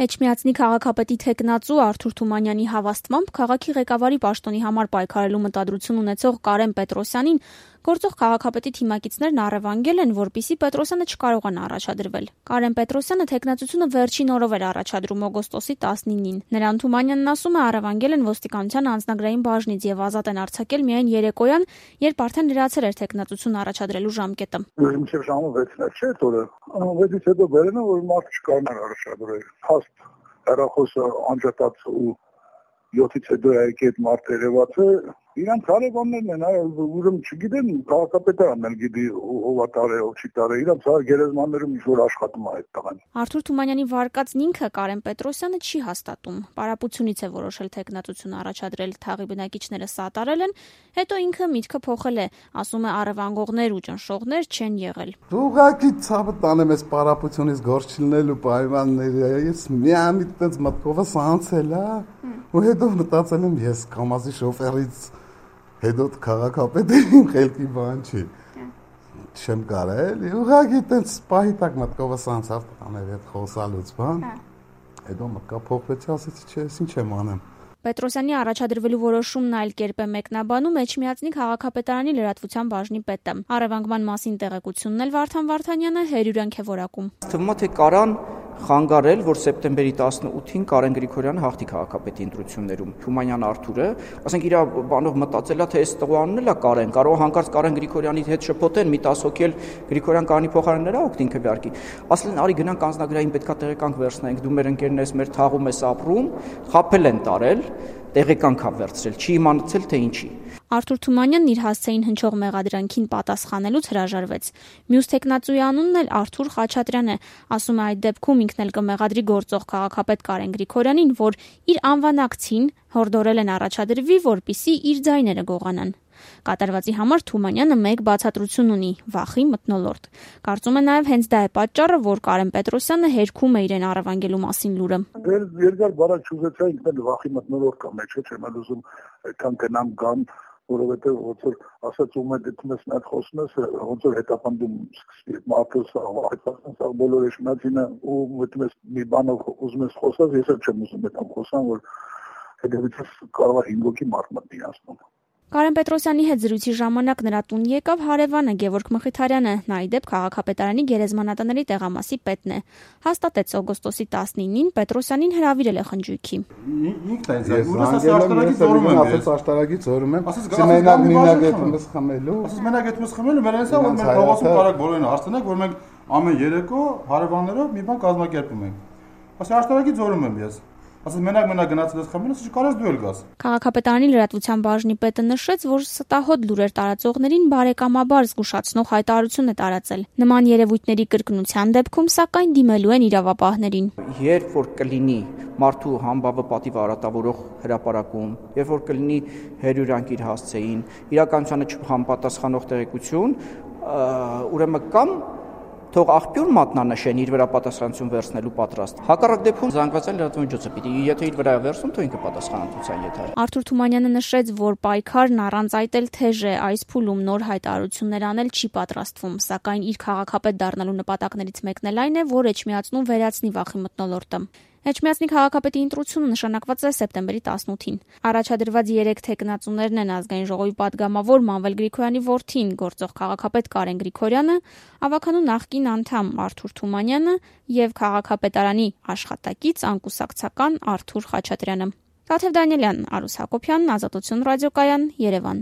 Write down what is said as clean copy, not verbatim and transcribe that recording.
Էջմիածնի քաղաքապետի թեկնածու Արթուր Թումանյանի հավաստմամբ քաղաքի ղեկավարի պաշտոնի համար պայքարելու մտադրություն ունեցող Կարեն Պետրոսյանին գործող քաղաքապետի թիմակիցներն առևանգել են, որպեսզի Պետրոսյանը չկարողանա առաջադրվել։ Կարեն Պետրոսյանը թեկնածությունը վերջին օրով էր առաջադրում օգոստոսի 19-ին։ Նրան Թումանյանն ասում է, առևանգել են ոստիկանության անձնագրային բաժնից եւ ազատ են արձակել միայն երեկոյան, երբ արդեն լրացել էր թեկնածություն առաջադրելու ժամկետը։ Մինչև ժամը 6-ն չէ, օրը 6-ից հետո բերեն, որ մարդ չկարողանա առաջադրել։ Հաստ հեռախոսը անջատած ու 7-ից հետո այդ մարդ երևաց է, իրանք հարևաններն են, ուրեմն չգիտեն, քաղաքապետարանն էլ գիտի ով է տարել, ով չի տարել, իրանք գերեզմաններում ինչ-որ աշխատում է այդ տղան։ Արթուր Թումանյանի վարկածն ինքը Կարեն Պետրոսյանը չի հաստատում։ Պարապությունից է որոշել թեկնածություն առաջադրել, թաղի բնակիչները սատարել են, հետո ինքը միտքը փոխել է, ասում է առևանգողներ ու ճնշողներ չեն եղել։ Դու ուղղակի ցավը տանեմ այս պարապությունից գործ չլինելու պայմանները, ես միամիտ տենց մտքովս անցել է, ու հետո մտածել եմ ես կամազի շոֆերից հետո քաղաքապետի խելքի բան չի։ Չեմ կարել, ուղղակի տենց պահի տակ մտքովս անցավ տաներ այդ խոսալուց բան։ Հետո մտքա փոխվեցի, ասեցի չէ, ինչ եմ անեմ։ Պետրոսյանի առաջադրվելու որոշումն այլ կերպ է մեկնաբանում Էջմիածնի քաղաքապետարանի լրատվության բաժնի պետը։ Առևանգման մասին տեղեկությունն էլ Վարդան Վարդանյանը հերյուրանք է որակում։ Թվում է թե կարան խանգարել, որ սեպտեմբերի 18-ին Կարեն Գրիգորյանը հաղթի քաղաքապետի ընտրություններում։ Թումանյան Արթուրը, ասենք իր բանով մտածելա, թե այս տղուանն էլ է Կարեն, կարող հանկարծ Կարեն Գրիգորյանի հետ շփոթեն, մի 10 հոգի էլ Գրիգորյան Կարենի փոխարեն նրա օգտին քվեարկի։ Ասել են, արի գնանք անձնագրային պետքա տեղեկանք վերցնենք, դու մեր ընկերն ես, մեր թաղում ես ապրում, խաբել են տարել, տեղեկանք ա վերցրել, չի իմանացել թե ինչի։ Արթուր Թումանյանն իր հասցեին հնչող մեղադրանքին պատասխանելուց հրաժարվեց։ Մյուս թեկնածուի անունն էլ Արթուր Խաչատրյան է, ասում է այդ դեպքում ինքն էլ կմեղադրի գործող քաղաքապետ Կարեն Գրիգորյանին, որ իր անվանակցին հորդորել են առաջադրվի, որպիսի իր ձայները գողանան։ Կատարվածի համար Թումանյանը մեկ բացատրություն ունի՝ վախի մթնոլորտ։ Կարծում է նաև հենց դա է պատճառը, որ Կարեն Պետրոսյանը հերքում է իրեն առևանգելու մասին լուրը։ Երկար բարակ չուզեցա, ինքն էլ վախի մթնոլորտ կա մեջ, չեմ էլ ուզում այդքան գնամ գամ, որովհետև ոնց որ ասած ում է դիտում ես նա խոսում ես, ոնց որ հետապնդում սկսվի մարդը այդպես բոլոր էշմացինը ու մտնում ես մի բանով ուզում ես խոսալ, ես էլ չեմ ուզում այդքան խոսամ, որ հետևից կարող է 5 հոգի մարդ մտնի ասում։ Կարեն Պետրոսյանի հետ զրույցի ժամանակ նրա տուն եկավ հարևանը Գևորգ Մխիթարյանը, նա ի դեպ քաղաքապետարանի գերեզմանատների տեղամասի պետն է։ Հաստատեց օգոստոսի 19-ին Պետրոսյանին հրավիրել է խնջույքի։ Ինքն է աշտարակից զորում եմ, ասես աշտարակից զորում եմ։ Մենակ այդպես խմելու։ Ասես մենակ այդպես խմելու, մեր այնսա որ մեր փողոցում կարակ բոլորին հարցնեք, որ մենք ամեն երեկո հարևաններով մի բան կազմակերպում ենք։ Ասես աշտարակից զորում եմ ես։ Ասես մենակ գնացել ես խմել, ասես կարես դու էլ գաս։ Քաղաքապետարանի լրատվության բաժնի պետը նշեց, որ ստահոդ լուրեր տարածողներին բարեկամաբար զգուշացնող հայտարարություն է տարածել։ Նման երևույթների կրկնության դեպքում սակայն դիմելու են իրավապահներին։ Երբ որ կլինի մարդու համբավը պատիվ արատավորող հրապարակում, երբ որ կլինի հերյուրանք իր հասցեին, իրականությանը չհամապատասխանող տեղեկություն, ուրեմն կամ թող աղբյուր մատնանշեն իր վրա պատասխանատվություն վերցնելու պատրաստ։ Հակառակ դեպքում զանգվածային լրատվամիջոցը պիտի, եթե իր վրա վերցնում, թող ինքը պատասխանատվության եթեր։ Արթուր Թումանյանը նշեց, որ պայքարն առանց այդ էլ թեժ է, այս փուլում նոր հայտարարություններ անել չի պատրաստվում, սակայն իր քաղաքապետ դառնալու նպատակներից մեկն էլ այն է, որ Էջմիածնում վերացնի վախի մթնոլորտը։ Էջմիածնի քաղաքապետի ընտրությունը նշանակված է սեպտեմբերի 18-ին։ Առաջադրված 3 թեկնածուներն են ազգային ժողովի падգամավոր Մանվել Գրիգորյանի որդին, գործող քաղաքապետ Կարեն Գրիգորյանը, ավականու նախկին անդամ Արթուր Թումանյանը եւ քաղաքապետարանի աշխատակից անկուսակցական Արթուր Խաչատրյանը։ Տաթև Դանիելյան, Արուս Հակոբյան, Ազատություն ռադիոկայան, Երևան։